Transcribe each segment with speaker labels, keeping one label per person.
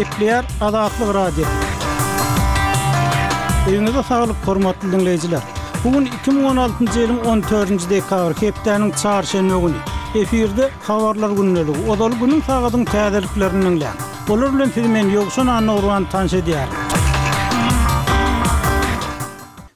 Speaker 1: Gepleýär Azatlyk Radiosy. Öýüňize saglyk, hormatly diňleýjiler! Bu gün 2016-njy ýylyň 14-nji dekabry, hepdäniň çarşenbe güni. Efirde Habarlar gündeligi. Ozaly günüň sagadyň täzeliklerini diňläň. Olar bilen sizi men Ýowşan Annagurban tanyş edýärin.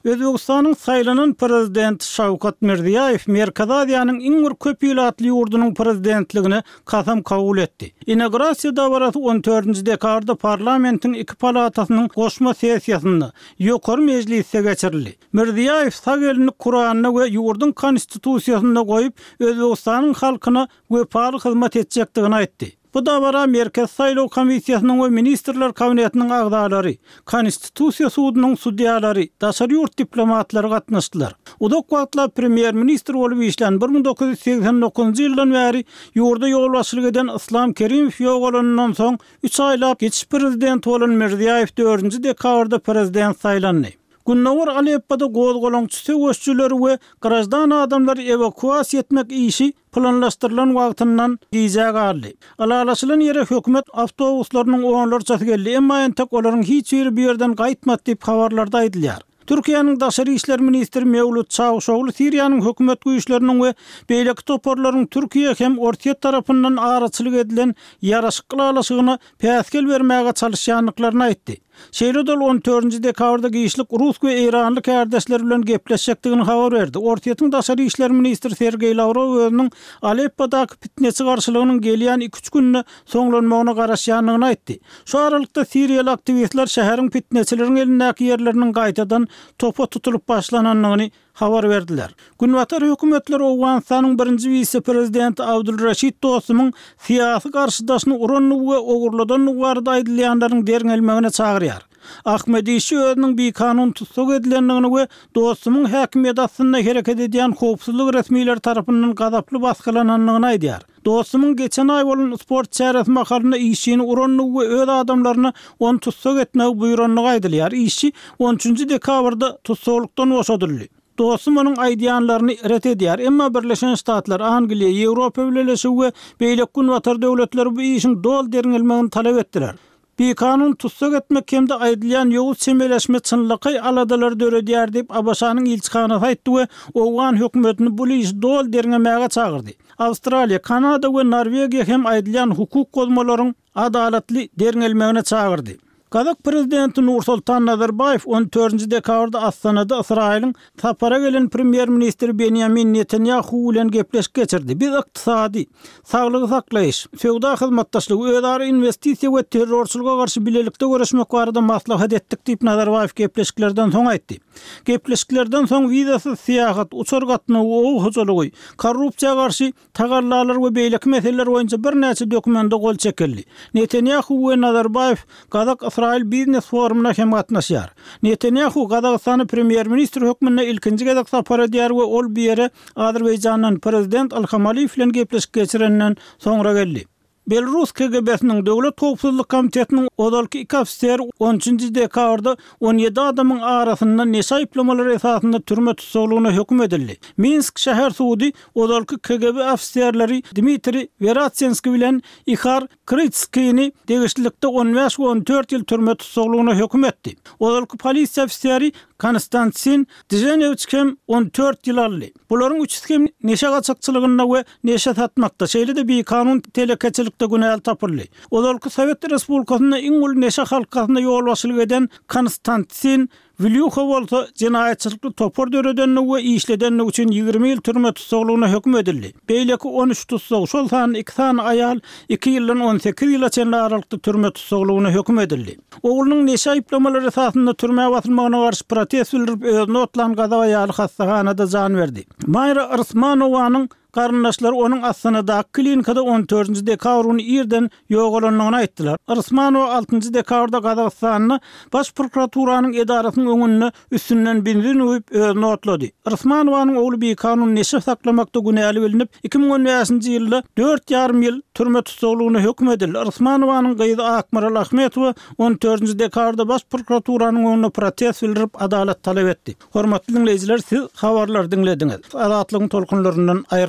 Speaker 1: Özbegistanyň saýlanan prezidenti Şawkat Mirziýaýew Merkezi Aziýanyň iň bir köp ilatly ýurdunyň prezidentligine kasam kabul etdi. Inaugurasiýa dabarasy on dördünji dekabrda parlamentiň iki palatasynyň goşma sessiýasynda, Ýokary mejlisde geçirildi. Mirziýaýew sag elini Kuranda we ýurduň Konstitusiýasynda goýup, Özbegistanyň halkyna wepaly hyzmat etjekdigini aýtdy. Bu dabara Merkezi saýlaw komissiýasynyň we Ministrler Kabinetiniň agzalary, Konstitusiýa sudunyň sudýalary, daşary ýurt diplomatlary gatnaşdylar. Uzak wagtlap premýer-ministr bolup işlän, 1989-njy ýyldan bäri ýurda ýolbaşçylyk eden Yslam Kerimow ýogalanyndan soň üç aýlap geçiş prezidenti bolan Mirziýaýew dördünji dekabrda prezident saýlandy. Gündogar Aleppoda gozgalaňçy söweşijileri we graždan adamlary ewakuasiýa etmek işi planlaşdyrylan wagtyndan gijä galdy. Ylalaşylan ýere hökümet awtobuslarynyň onlarçasy geldi, emma entek olaryň hiç biri bu ýerden gaýtmady diýip, habarlarda aýdylýar. Türkiýäniň daşary işler ministri Mewlut Çawuşogly Siriýanyň hökümet güýçleriniň we beýleki toparlaryň Türkiýe hem Orsýet tarapyndan araçylyk edilen ýaraşyk ylalaşygyna päsgel bermäge çalyşýandyklaryny aýtdy. Şeýle-de ol on dördünji dekabrda giçlik rus we eýranly kärdeşleri bilen gepleşjekdigini habar berdi. Orsýetiň daşary işler ministri Sergeý Lawrow özüniň Aleppodaky pitneçi garşylygynyň gelýän iki-üç günde soňlanmagyna garaşýandygyny aýtdy. Şu aralykda siriýaly aktiwistler şäheriň pitneçileriň elindäki ýerleriniň gaýtadan topa tutulyp başlanandygyny habar berdiler. Günbatar hökümetleri Owganystanyň birinji wise-prezidenti Abdul Reşit Dostumyň syýasy garşydaşyny urandygy we ogurladandygy barada aýdylýanlaryň derňelmegine çagyrýar. Ahmed Işçi özüniň bikanun tussag edilendigini we Dostumyň häkimiýeti astynda hereket edýän howpsuzlyk resmileri tarapyndan gazaply basgylanandygyny aýdýar. Dostumyň geçen aý bolan sport çäresi mahalynda işçini urandygy we öz adamlaryna ony tussag etmegi buýrandygy aýdylýar. Işçi on üçünji dekabrda tussaglykdan boşadyldy. Dostum onuň aýdýanlaryny ret edýär. Emma Birleşen Ştatlar, Angliýa, Ýewropa Bileleşigi we beýleki günbatar döwletleri bu işiň doly derňelmegini talap etdiler. Bikanun tussag etmek hem-de aýdylýan ýowuz çemeleşme çynlakaý aladalary döredýär diýip, ABŞ-nyň ilçihanasy aýtdy we owgan hökümetini bu işi doly derňemäge çagyrdy. Awstraliýa, Kanada we Norwegiýa hem aýdylýan hukuk bozmalaryň adalatly derňelmegine çagyrdy. Gazak prezidenti Nursultan Nazarbaýew on dördünji dekabrda Astanada Ysraýylyň sapara gelen premýer-ministri Benýamin Netanýahu bilen gepleşik geçirdi. Biz ykdysady, saglygy saklaýyş, söwda hyzmatdaşlygy, özara inwestisiýa we terrorçylyga garşy bilelikde göreşmek barada maslahat etdik diýip, Nazarbaýew gepleşiklerden soň aýtdy. Gepleşiklerden soň wizasyz syýahat, uçar gatnawy, oba hojalygy, korrupsiýa garşy tagallalar we beýleki meseleler boýunça birnäçe dokumende gol çekildi. Netanýahu we Nazarbaýew Gazak-Ysraýyl biznes forumyna hem gatnaşýar. Netanýahu Gazagystana premýer-ministr hökmünde ilkinji gezek sapar edýär we ol bu ýere Azerbaýjandan prezident Ilham Aliýew bilen gepleşik geçirenden soňra geldi. Belarus KGB-siniň Döwlet howpsuzlyk komitetiniň ozalky iki ofiseri on üçünji dekabrda 17 adamyň arasynda neşe aýyplamalary esasynda türme tussaglygyna höküm edildi. Minsk şäher sudy ozalky KGB ofiserleri Dmitriý Weratsenskiý bilen Ihar Krytskini degişlilikde on bäş we on dört ýyl türme tussaglygyna höküm etdi. Ozalky polisiýa ofiseri Konstantin Dženewiç hem on dört ýyl aldy. Bularyň üçüsi hem neşe gaçakçylygynda we neşe satmakda, şeýle-de bikanun telekeçilikde günäli tapyldy. Ozalky Sowet Respublikasynda iň uly neşe halkasyna ýolbaşçylyk eden Konstantin Wlýuha bolsa jenaýatçylykly topar döredenligi we işledenligi üçin 20 ýyl türme tussaglygyna höküm edildi. Beýleki 13 tussag, şol sanda iki sany aýal iki ýyldan 18 ýyla çenli aralykda türme tussaglygyna höküm edildi. Oglunyň neşe aýyplamalary esasynda türmä basylmagyna garşy protest bildirip özüni otlan gazak aýaly hassahanada jan berdi. Maýra Yrysmanowanyň garyndaşlary onuň Astanadaky klinikada on dördünji dekabr güni irden ýogalandygyny aýtdylar. Yrysmanowa altynjy dekabrda Gazagystanda Baş prokuraturanyň edarasynyň öňünde üstünden benzin guýup özüni otlady. Yrysmanowanyň ogly bikanun neşe saklamakda günäli bilnip, 2015-nji ýylda dört ýarym ýyl türme tussaglygyna höküm edildi. Yrysmanowanyň gyzy Akmaral Ahmetowa on dördünji dekabrda Baş prokuraturanyň öňünde protest bildirip, adalat talap etdi. Hormatly diňleýjiler, siz habarlary diňlediňiz. Azatlygyň tolkunlaryndan aýryl.